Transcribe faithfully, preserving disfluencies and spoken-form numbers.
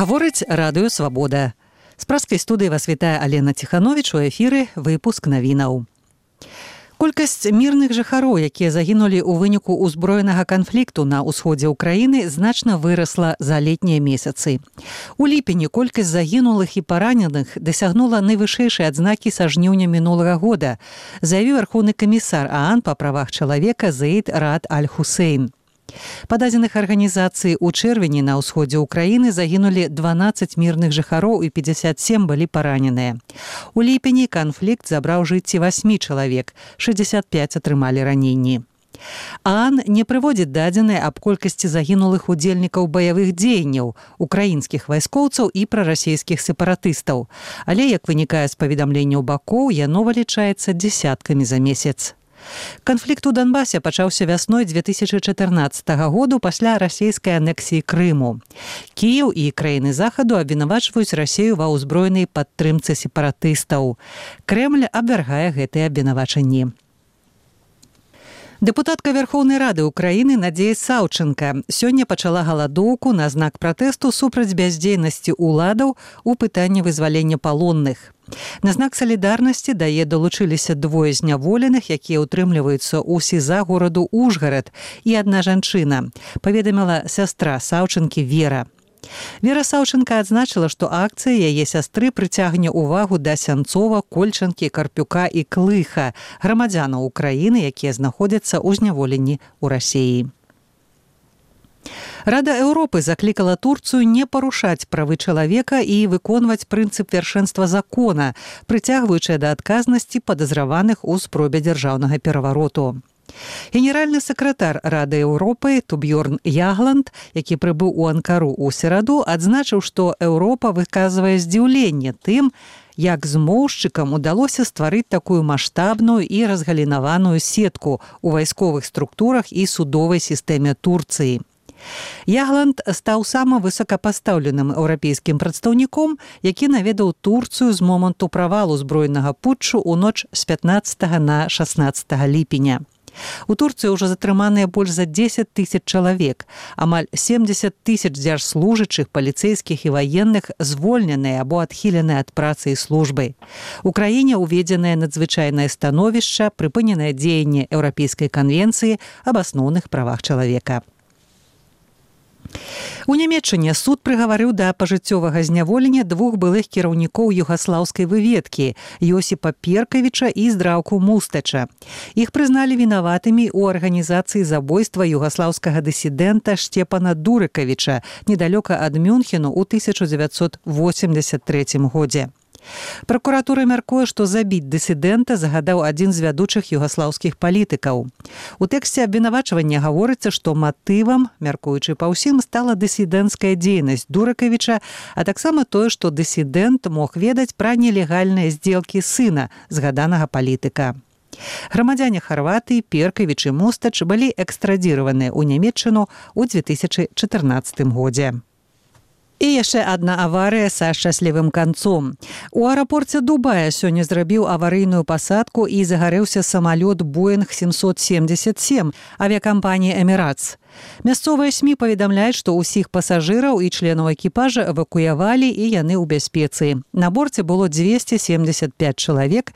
Гаворыць радыё «Свабода». З праскай студыі вас вітае Алена Ціхановіч, у эфіры выпуск навінаў. Колькасць мірных жыхароў, якія загінулі ў выніку ўзброенага канфлікту на ўсходзе ўкраіны, значна вырасла за летнія месяцы. У ліпені колькасць загінулых і параненых дасягнула найвышэйшай адзнакі са жніўня мінулага года, заявіў вярхоўны камісар ААН па правах чалавека Заід Раад Аль-Хусейн. Па дадзеных арганізацыі ў чэрвені на ўсходзе ўкраіны загінулі дванаццаць мірных жыхароў і пятьдесят семь былі параненыя. У ліпені канфлікт забраў жыцці восьмі чалавек, шэсцьдзесят пяць атрымалі раненні. ААН не прыводзіць дадзеныя аб колькасці загінулых удзельнікаў баявых дзеянняў, украінскіх вайскоўцаў і прарасійскіх сепаратыстаў, але, як вынікае з паведамленняў бакоў, яно вылічаецца дзесяткамі за месяц. Канфлікт у Донбасе пачаўся вясной две тысячы чатырнаццатага году пасля расійскай анексіі Крыму. Кіеў і краіны захаду абвінавачваюць Расію ва ўзброенай падтрымцы сепаратыстаў. Крэмль абвяргае гэтыя абвінавачанні. Дэпутатка Верхоўнай Рады Украіны Надзея Саўчынка сёння пачала галадоўку на знак пратэсту супраць бяздзейнасці ўладаў у пытанні вызвалення палонных. На знак салідарнасці да яе далучыліся двое зняволеных, якія ўтрымліваюцца ў СІЗА гораду Ужгарад, і адна жанчына, паведаміла сястра Саўчынкі Вера. Вера Саўчынка адзначыла, што акцыя яе сястры прыцягне ўвагу да Сянцова, Кольчанкі, Карпюка і Клыха, грамадзянаў Украіны, якія знаходзяцца ў зняволенні ў Расіі. Рада Еўропы заклікала Турцыю не парушаць правы чалавека і выконваць прынцып вяршэнства закона, прыцягваючы да адказнасці падазраваных у спробе дзяржаўнага перавароту. Генеральны сакратар Рады Еўропы Тубьёрн Ягланд, які прыбыў у Анкару ў сераду, адзначыў, што Еўропа выказвае здзіўленне тым, як змоўшчыкам удалося стварыць такую маштабную і разгалінаваную сетку ў вайсковых структурах і судовай сістэме Турцыі. Ягланд стаў самым высокапастаўленым еўрапейскім прадстаўніком, які наведаў Турцыю з моманту правалу збройнага путчу ў ноч з пятнаццатага на шаснаццатага ліпеня. У Турцыі ўжо затрыманыя больш за дзесяць тысяч чалавек, амаль семдзесят тысяч дзяржслужачых, паліцэйскіх і ваенных звольненыя або адхіленыя ад працы і службы. У краіне ўведзенае надзвычайнае становішча, прыпыненае дзеянне Еўрапейскай канвенцыі аб асноўных правах чалавека. У Нямецчыне суд прыгаварыў да пажыццёвага зняволення двух былых кіраўнікоў югаслаўскай выведкі Йосіпа Перкавіча і Здраўку Мустача. Іх прызналі вінаватымі ў арганізацыі забойства югаслаўскага дысідэнта Штепана Дурыкавіча недалёка ад Мюнхену ў тысяча дзевяцьсот восемьдзясят трэцім годзе. Пракуратура мяркуе, што забіць дысідэнта загадаў адзін з вядучых югаслаўскіх палітыкаў. У тэксце абвінавачвання гаворыцца, што матывам, мяркуючы па ўсім, стала дысідэнцкая дзейнасць Дурыкавіча, а таксама тое, што дысідэнт мог ведаць пра нелегальныя здзелкі сына згаданага палітыка. Грамадзяне Харватыі Перкавіч і Мустач былі экстрадзіраваныя ў Нямецчыну ў две тысячы чатырнаццатым годзе. І яшчэ адна аварыя са шчаслівым канцом. У аэрапорце Дубая сёння зрабіў аварыйную пасадку і загарэўся самалёт Боинг семьсот семьдесят семь авіякампаніі «Эміратс». Мясцовыя СМІ паведамляюць, што ўсіх пасажыраў і членаў экіпажа эвакуявалі і яны ў бяспецы. На борце было двести семьдесят пять чалавек,